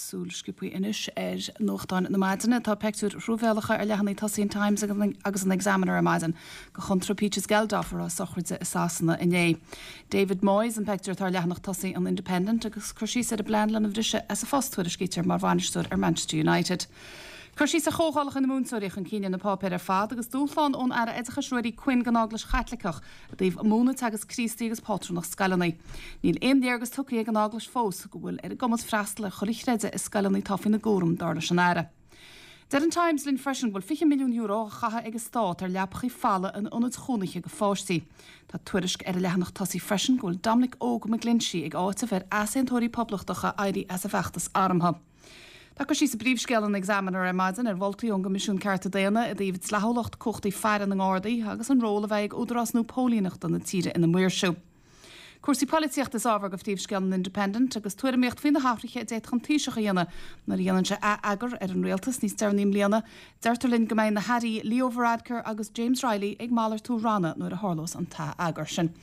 Súil sciobtha anois ar nuachtáin na maidine. Tá peictiúir thruamhéalacha ar leathanaigh tosaigh an Times agus an Examiner ar maidin de Chontra Peaches Geldof a raibh a sochraide i Sasana inné. David Moyes an peictiúr atá ar leathanach tosaigh an Independent agus cur síos ar a bplean lena bhriseadh as a phost, tuairiscítear, mar bhainisteoir ar Manchester United. Cur síos ar chomhdhálacha na múinteoirí chun cinn ar na páipéir ar fad agus dúshlán ón Aire Oideachais Ruairí Quinn don Eaglais Chaitliceach i dtaobh múineadh teagasc Críostaí agus pátrúnacht scoileanna. Níl aon léargas tugtha ag an Eaglais fós go bhfuil ar a gcumas freastal ar chuile chreideamh i scoileanna atá faoina gcúram, dar leis an Aire. Deir an Times linn freisin go bhfuil €20 milliún á chaitheamh ag an Stát ar leapachaí fola in ionaid chónaithe do pháistí. Tá tuairisc ar an leathanach tosaigh freisin go bhfuil Dominic Óg McGlinchey ag áiteamh ar easaontóirí poblachtacha éirí as a bhfeachtas armtha. Tá cur síos i bpríomhscéal an Examiner ar maidin ar mholtaí ón gCoimisiún Cearta Daonna i dtaobh dleathúlacht cumhachtaí faire na nGardaí agus an ról a bheidh ag údarás nua póilíneachta na tíre ina maoirsiú. Cúrsaí polaitíochta is ábhar do phríomhscéal an Independent agus tuairimíocht faoi na hathruithe a d'fhéadfadh an Taoiseach a dhéanamh nuair a dhéanann sé ath-eagar ar an rialtas níos deireanaí i mbliana. Deirtear linn go mbeidh na hairí Leo Varadkar agus James Reilly ag malartú ranna nuair a tharlós an t-ath-eagar sin.